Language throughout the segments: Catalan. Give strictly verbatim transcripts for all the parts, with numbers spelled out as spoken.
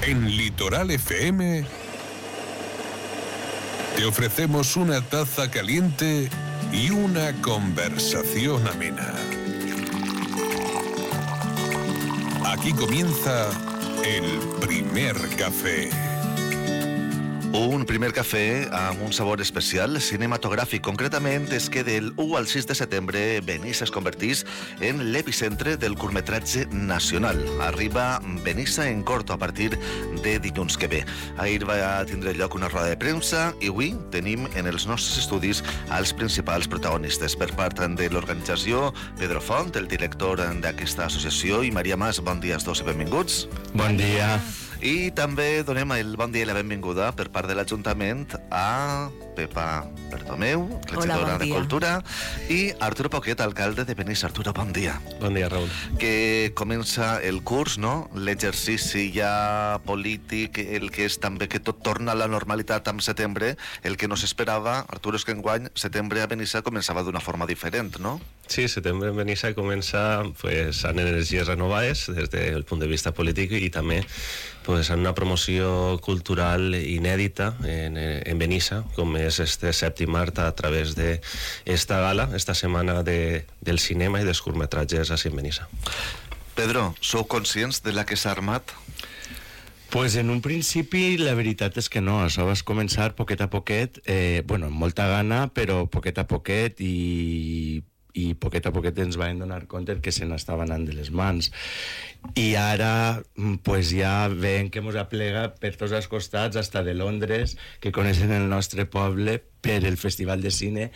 En Litoral F M te ofrecemos una taza caliente y una conversación amena. Aquí comienza el primer café. Un primer cafè amb un sabor especial cinematogràfic. Concretament és que del u al sis de setembre Benissa es convertís en l'epicentre del curtmetratge nacional. Arriba Benissa en corto a partir de dilluns que ve. Ahir va tindre lloc una roda de premsa i avui tenim en els nostres estudis els principals protagonistes. Per part de l'organització, Pedro Font, el director d'aquesta associació, i Maria Mas. Bon dia als dos i benvinguts. Bon dia. I també donem el bon dia i la benvinguda per part de l'Ajuntament a Pepa Bertomeu, regidora de Cultura, i Arturo Poquet, alcalde de Benissa. Arturo, bon dia. Bon dia, Raül. Que comença el curs, no? L'exercici ja polític, el que és també que tot torna a la normalitat en setembre. El que no s'esperava, Arturo, és que enguany setembre a Benissa començava d'una forma diferent, no? Sí, setembre en Benissa comença pues, amb energies renovades des del punt de vista polític i també pues, en una promoció cultural inèdita en, en Benissa, com és este sèptim art a través d'esta gala, esta setmana de, del cinema i dels curtmetratges així en Benissa. Pedro, sou conscients de la que s'ha armat? Pues en un principi la veritat és que no, això vas començar poquet a poquet, eh, bueno, amb molta gana, però poquet a poquet i... i poquet a poquet ens vam donar compte que se n'estava anant de les mans. I ara pues, ja veiem que ens aplega per tots els costats, hasta de Londres, que coneixen el nostre poble per el Festival de Cine,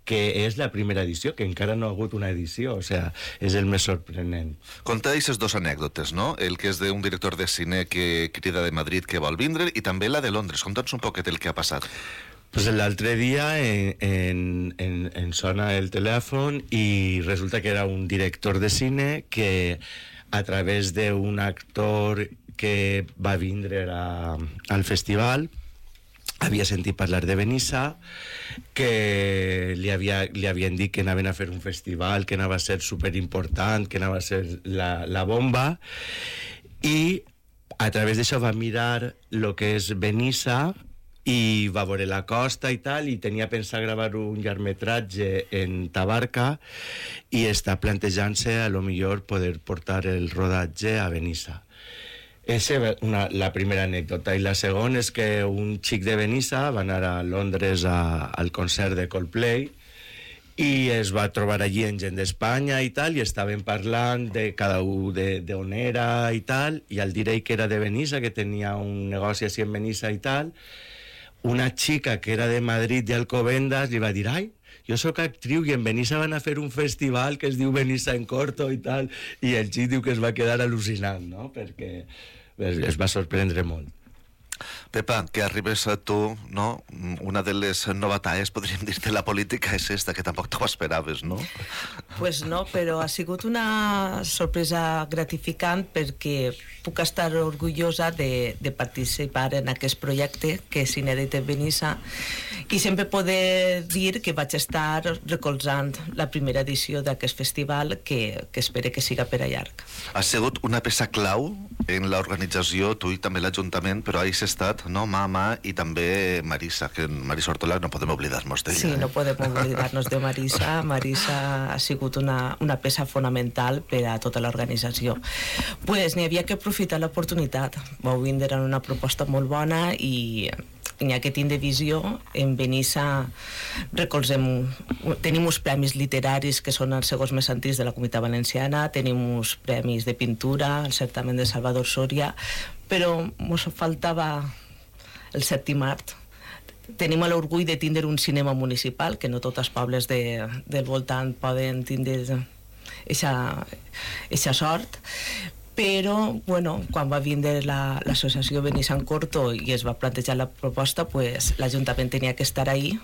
que és la primera edició, que encara no ha hagut una edició, o sea, és el més sorprenent. Conta aquestes dues anècdotes, no? El que és d'un director de cine que crida de Madrid que vol vindre i també la de Londres. Conta'ns un poquet el que ha passat. Pues l'altre dia en, en, en, en sona el telèfon i resulta que era un director de cine que a través d'un actor que va vindre a, al festival havia sentit parlar de Benissa, que li, havia, li havien dit que anaven a fer un festival, que anava a ser superimportant, que anava a ser la, la bomba, i a través d'això va mirar el que és Benissa i va veure la costa i tal, i tenia pensat gravar un llargmetratge en Tabarca i està plantejant-se a lo millor poder portar el rodatge a Benissa. Esa és una, la primera anècdota. I la segona és que un xic de Benissa va anar a Londres a, al concert de Coldplay i es va trobar allí en gent d'Espanya i tal, i estaven parlant de cada un d'on era i tal, i al dir ell que era de Benissa, que tenia un negoci així en Benissa i tal, una xica que era de Madrid i Alcobendas li va dir, ai, jo sóc actriu i en Benissa van a fer un festival que es diu Benissa en corto i tal, i el xic diu que es va quedar al·lucinant, no? Perquè es va sorprendre molt. Pepa, que arribes a tu, no? Una de les novetats, podríem dir, de la política és esta, que tampoc t'ho esperaves, no? Pues no, però ha sigut una sorpresa gratificant perquè puc estar orgullosa de, de participar en aquest projecte que és inèdit en Benissa i sempre poder dir que vaig estar recolzant la primera edició d'aquest festival que, que espero que siga per a llarg. Ha sigut una peça clau en l'organització, tu i també l'Ajuntament, però ahir s'ha estat, no, Mama i també Marisa, que Marisa Ortola no podem oblidar-nos d'ella. Sí, eh? no podem oblidar-nos de Marisa. Marisa ha sigut una, una peça fonamental per a tota l'organització. Pues n'hi havia que aprofitar l'oportunitat. Vau vindre en una proposta molt bona i n'hi ha que tindre visió. En Benissa recolzem, tenim uns premis literaris que són els segons més antics de la Comunitat Valenciana, tenim uns premis de pintura, el certamen de Salvador Soria, però ens faltava el sèptim art. Tenim l'orgull de tindre un cinema municipal, que no tots els pobles de, del voltant poden tindre aquesta sort, però bueno, quan va vindre la, l'associació Benissa en Corto i es va plantejar la proposta, pues, l'Ajuntament tenia que estar ahí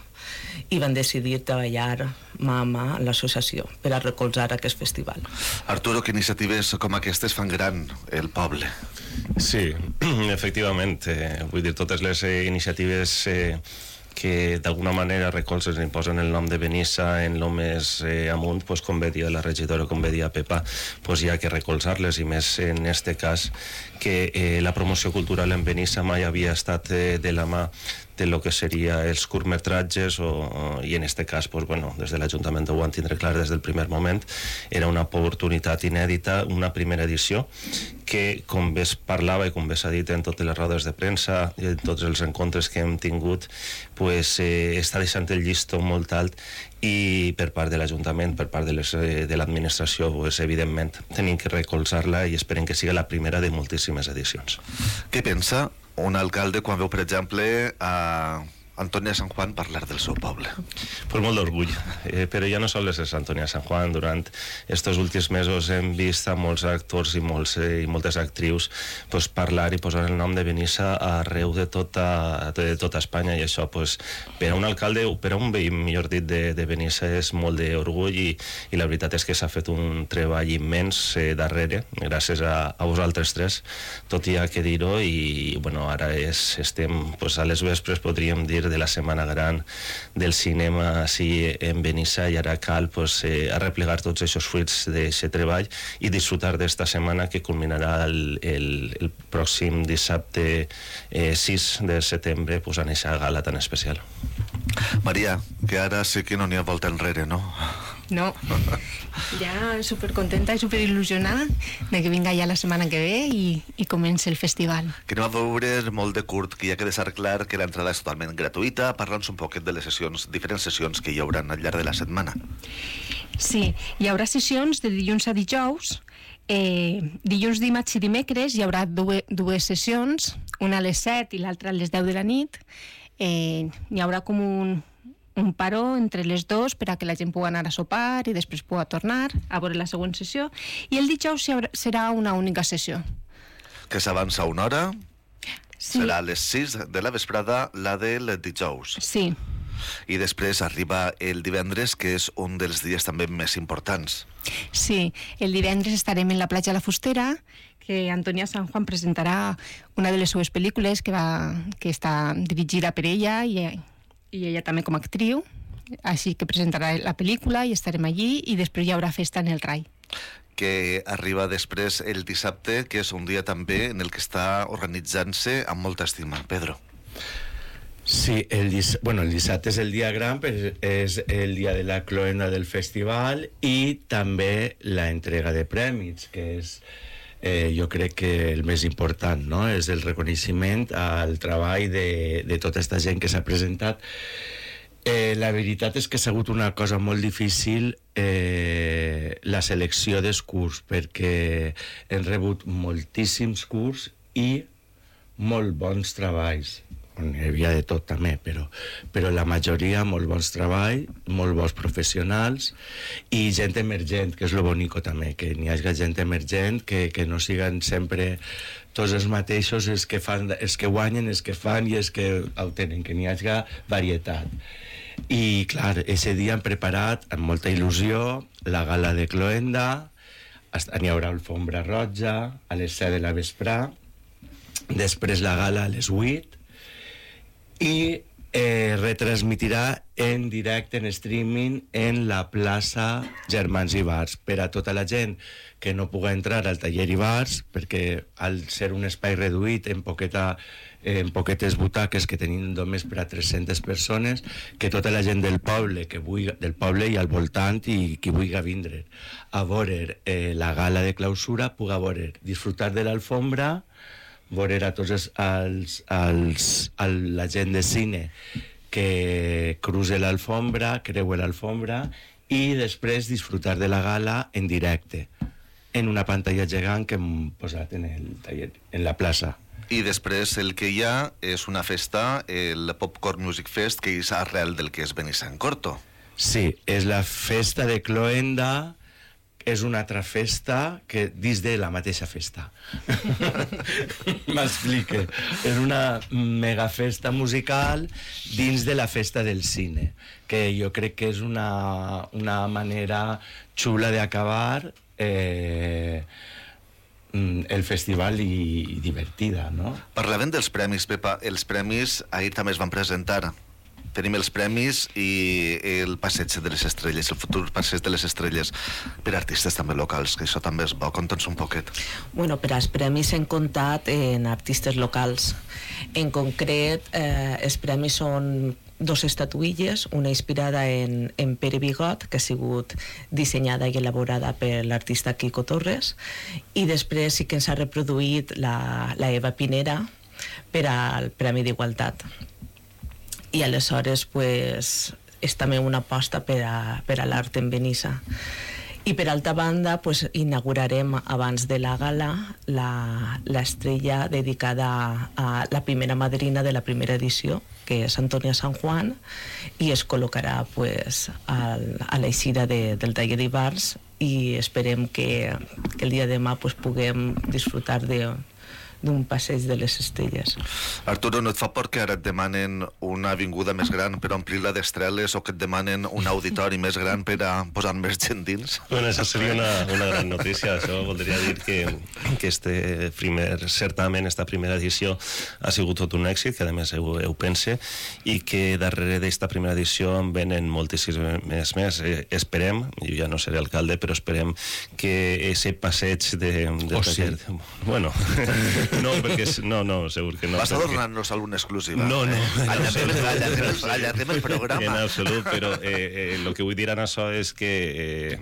i van decidir treballar mà a mà en l'associació per a recolzar aquest festival. Arturo, que iniciatives com aquestes fan gran el poble? Sí, efectivament. Eh, vull dir, totes les eh, iniciatives eh, que d'alguna manera recolzen i posen el nom de Benissa en lo més eh, amunt, pues, com bé dia la regidora, com bé dia Pepa, pues hi ha que recolzar-les, i més en este cas que eh, la promoció cultural en Benissa mai havia estat eh, de la mà de lo que seria els curtmetratges o, o, i en este cas, pues, bueno, des de l'Ajuntament ho van tindre clar des del primer moment, era una oportunitat inèdita, una primera edició que, com bé es parlava i com bé s'ha dit en totes les rodes de premsa i en tots els encontres que hem tingut, pues, eh, està deixant el llistó molt alt, i per part de l'Ajuntament, per part de, les, de l'administració, pues, evidentment tenim que recolzar-la i esperem que sigui la primera de moltíssimes edicions. Què pensa un alcalde quan veu, per exemple, a Antònia Sant Juan parlar del seu poble? Pues molt d'orgull, eh, però ja no sols és Antònia Sant Juan. Durant estos últims mesos hem vist a molts actors i, molts, eh, i moltes actrius pues, parlar i posar el nom de Benissa arreu de tota, de tota Espanya, i això pues, per a un alcalde o per a un veí, millor dit, de, de Benissa és molt d'orgull, i, i la veritat és que s'ha fet un treball immens eh, darrere, gràcies a, a vosaltres tres, tot hi ha que dir-ho, i bueno, ara és, estem pues, a les vespres, podríem dir, de la setmana gran del cinema així en Benissa, i ara cal pues, eh, arreplegar tots aquests fruits d'aquest treball i disfrutar d'esta setmana que culminarà el, el, el pròxim dissabte eh, sis de setembre pues, en aquesta gala tan especial. Maria, que ara sí que no n'hi ha volta enrere, no? No, ja supercontenta i superil·lusionada de que vinga ja la setmana que ve i, i comenci el festival. Que anem a veure molt de curt, que ja queda deixar clar que l'entrada és totalment gratuïta. Parla'ns un poquet de les sessions, diferents sessions que hi haurà al llarg de la setmana. Sí, hi haurà sessions de dilluns a dijous. Eh, dilluns, dimarts i dimecres hi haurà dues, dues sessions, una a les set i l'altra a les deu de la nit. Eh, hi haurà com un... un paró entre les dos per a que la gent pugui anar a sopar i després pugui tornar a veure la següent sessió, i el dijous serà una única sessió. Que s'avança una hora, sí. Serà a les sis de la vesprada la del dijous. Sí. I després arriba el divendres, que és un dels dies també més importants. Sí, el divendres estarem en la platja La Fustera, que Antònia Sant Juan presentarà una de les seues pel·lícules que, va, que està dirigida per ella i i ella també com a actriu, així que presentarà la pel·lícula i estarem allí, i després hi haurà festa en el Rai. Que arriba després el dissabte, que és un dia també en el que està organitzant-se amb molta estima. Pedro. Sí, el, dis bueno, el dissabte és el dia gran, però és el dia de la cloenda del festival i també la entrega de prèmits, que és Eh, jo crec que el més important, no? És el reconeixement al treball de, de tota aquesta gent que s'ha presentat. Eh, la veritat és que ha sigut una cosa molt difícil eh, la selecció dels curs, perquè hem rebut moltíssims curs i molt bons treballs. Hi havia de tot també, però, però la majoria molt bons treballs, molt bons professionals i gent emergent, que és lo bonico també, que n'hi hagi gent emergent, que, que no siguen sempre tots els mateixos els que, fan, els que guanyen, els que fan i els que ho tenen, que n'hi hagi varietat. I clar, ese dia hem preparat amb molta il·lusió la gala de cloenda, n'hi haurà alfombra roja a les set de la vesprà, després la gala a les vuit, i eh, retransmitirà en directe, en streaming, en la plaça Germans i Bars, per a tota la gent que no pugui entrar al taller i bars, perquè al ser un espai reduït en, poqueta, en poquetes butaques que tenim només per a tres-centes persones, que tota la gent del poble, que vulgui, del poble i al voltant, i qui vulgui vindre a veure eh, la gala de clausura, pugui veure, disfrutar de l'alfombra, veure a tots els, els, els, el, la gent de cine que cruce l'alfombra, creue l'alfombra, i després disfrutar de la gala en directe, en una pantalla gegant que hem posat en, el taller, en la plaça. I després el que hi ha és una festa, el Popcorn Music Fest, que és arrel del que és Benissa en Corto. Sí, és la festa de cloenda, és una altra festa que dins de la mateixa festa. M'explique. És una mega festa musical dins de la festa del cine, que jo crec que és una, una manera xula d'acabar eh, el festival i, i divertida, no? Parlàvem dels premis, Pepa. Els premis ahir també es van presentar. tenim els premis i el passeig de les estrelles, el futur passeig de les estrelles per artistes també locals, que això també és bo. Conta'ns un poquet. Bueno, per als premis hem comptat en artistes locals. En concret, eh, els premis són dos estatuilles, una inspirada en, en Pere Bigot, que ha sigut dissenyada i elaborada per l'artista Quico Torres, i després sí que ens ha reproduït la, la Eva Pinera per al Premi d'Igualtat. I aleshores pues, és també una aposta per a, per a l'art en Benissa. I per altra banda, pues, inaugurarem abans de la gala la, l'estrella dedicada a, a la primera madrina de la primera edició, que és Antònia San Juan, i es col·locarà pues, al, a l'eixida de, del taller d'Ibars, i esperem que, que el dia de demà pues, puguem disfrutar de d'un passeig de les estrelles. Arturo, no et fa por que ara et demanen una avinguda més gran per omplir-la d'estreles o que et demanen un auditori més gran per a posar més gent dins? Bueno, això seria una, una gran notícia. Això voldria dir que, que este primer certamen, esta primera edició, ha sigut tot un èxit, que a més ho, ho pense, i que darrere d'esta primera edició en venen moltíssimes més. més. Eh, esperem, jo ja no seré alcalde, però esperem que ese passeig de... de oh, sí. Bueno... No, perquè... No, no, segur que no. Vas a donar-nos alguna exclusiva? No, no. Eh? Allarguem el programa. En absolut, però el eh, eh, que vull dir en això és que eh,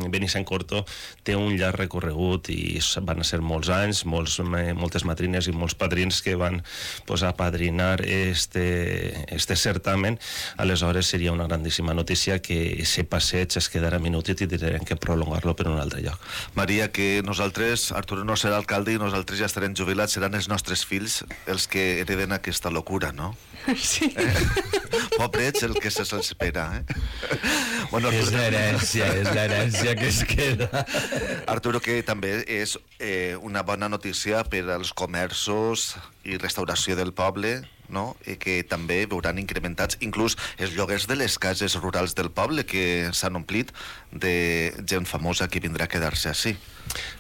Benissa en Corto té un llarg recorregut i van ser molts anys, molts, moltes madrines i molts padrins que van pues, apadrinar este, este certamen. Aleshores seria una grandíssima notícia que ese passeig es quedarà minutit i tindrem que prolongar-lo per un altre lloc. Maria, que nosaltres, Arturo no serà alcalde i nosaltres ja estarem jubilats, seran els nostres fills els que hereden aquesta locura, no? Sí. Eh? Pobrets, el que se'ls espera, eh? Bueno, és Arturo, l'herència, és l'herència que es queda. Arturo, que també és eh, una bona notícia per als comerços i restauració del poble, no? I que també veuran incrementats inclús els lloguers de les cases rurals del poble, que s'han omplit de gent famosa que vindrà a quedar-se així.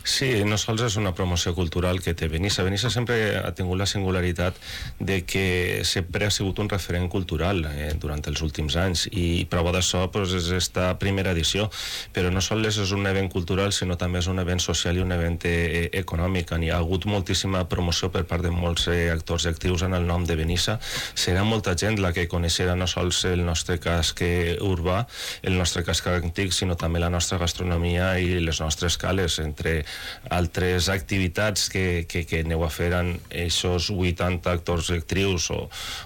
Sí, no sols és una promoció cultural que té Benissa. Benissa sempre ha tingut la singularitat de que sempre ha sigut un referent cultural eh, durant els últims anys, i prova d'això pues, és esta primera edició, però no sols és un event cultural, sinó també és un event social i un event eh, econòmic. Hi ha hagut moltíssima promoció per part de molts eh, actors i actius en el nom de Benissa. Serà molta gent la que coneixerà no sols el nostre casc urbà, el nostre casc antic, sinó també la nostra gastronomia i les nostres cales, entre altres activitats que, que, que aneu a fer en aquests vuitanta actors i actrius o,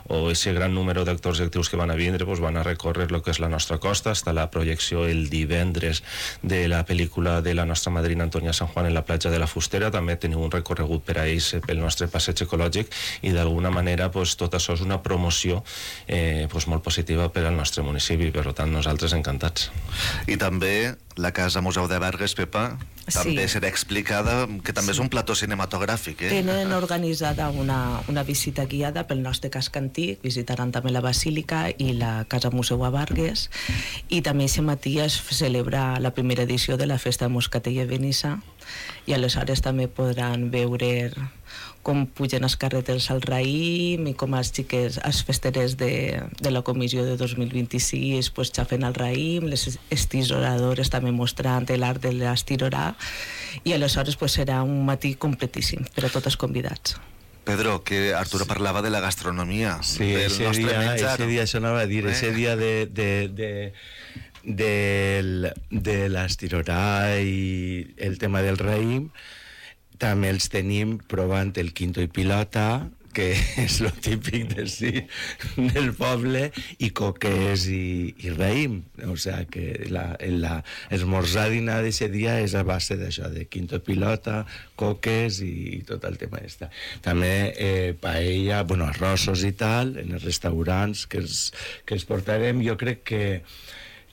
o aquest gran número d'actors i actrius que van a vindre, pues van a recórrer el que és la nostra costa. Està la projecció el divendres de la pel·lícula de la nostra madrina Antònia San Juan en la platja de la Fustera. També teniu un recorregut per a ells pel nostre passeig ecològic, i d'alguna manera pues, tot això és una promoció eh, pues, molt positiva per al nostre municipi. Per tant, nosaltres encantats. I també la Casa Museu de Vargas, Pepa, també Sí. serà explicada, que també Sí. és un plató cinematogràfic, eh? Tenen organitzada una, una visita guiada pel nostre casc antic, visitaran també la Basílica i la Casa Museu a Vargas, i també aquest matí es celebra la primera edició de la Festa de Moscatell a Benissa, i aleshores també podran veure com pugen els carreters al raïm i com els xiquets, els festerers de, de la comissió de dos mil vint-i-sis pues, xafen el raïm, les estiroradores també mostrant l'art de l'estirorà, i aleshores pues, serà un matí completíssim per a tots els convidats. Pedro, que Arturo parlava de la gastronomia, Sí, del ese nostre dia, menjar. ese dia, això anava a dir, Eh? ese dia de, de, de, del, de l'estirorà i el tema del raïm, també els tenim provant el quinto i pilota, que és lo típic de sí, del poble, i coques i, i raïm. O sea, que la, la, esmorzar dinar d'aquest dia és a base d'això, de quinto i pilota, coques i, i tot el tema està. També eh, paella, bueno, arrossos i tal, en els restaurants que els, que els portarem. Jo crec que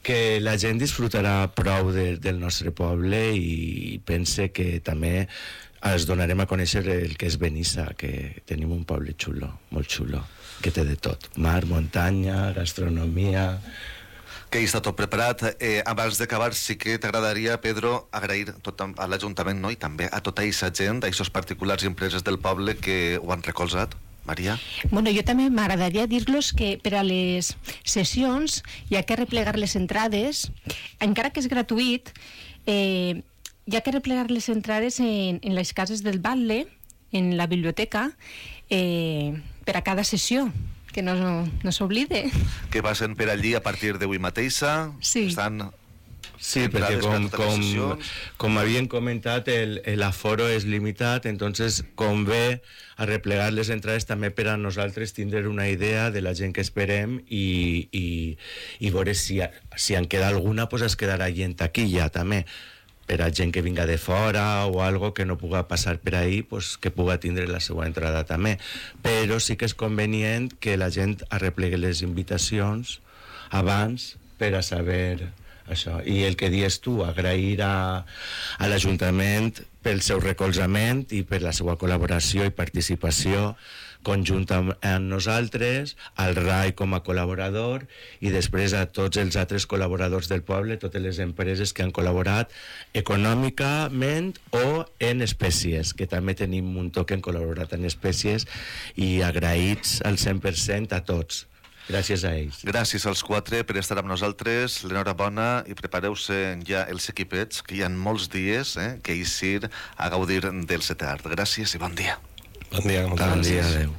que la gent disfrutarà prou de, del nostre poble, i pense que també es donarem a conèixer el que és Benissa, que tenim un poble xulo, molt xulo, que té de tot: mar, muntanya, gastronomia. Que hi està tot preparat. Eh, abans d'acabar, sí que t'agradaria, Pedro, agrair tot a l'Ajuntament, no? I també a tota aquesta gent, a aquests particulars i empreses del poble que ho han recolzat Maria? Bueno, jo també m'agradaria dir-los que per a les sessions hi ha que replegar les entrades, encara que és gratuït, eh, hi ha que replegar les entrades en, en les cases del Batlle, en la biblioteca, eh, per a cada sessió, que no, no s'oblide. Que passen per allí a partir d'avui mateixa. Sí. Estan... Sí, perquè com, com, com havien comentat, el, el aforo és limitat, entonces convé a replegar les entrades també per a nosaltres tindre una idea de la gent que esperem i, i, i veure si, si en queda alguna, pues es quedarà allí en taquilla també, per a gent que vinga de fora o algo que no puga passar per ahí, pues que puga tindre la seva entrada també. Però sí que és convenient que la gent arreplegui les invitacions abans per a saber... això. I el que dius tu, agrair a, a l'Ajuntament pel seu recolzament i per la seva col·laboració i participació conjunta amb nosaltres, al R A I com a col·laborador i després a tots els altres col·laboradors del poble, totes les empreses que han col·laborat econòmicament o en espècies, que també tenim un muntó que han col·laborat en espècies, i agraïts al cent per cent a tots. Gràcies a ells. Gràcies als quatre per estar amb nosaltres. L'enhorabona i prepareu-se ja els equipets, que hi ha molts dies eh, que eixir a gaudir del setè art. Gràcies i bon dia. Bon dia, moltes Bon gràcies. dia, adeu.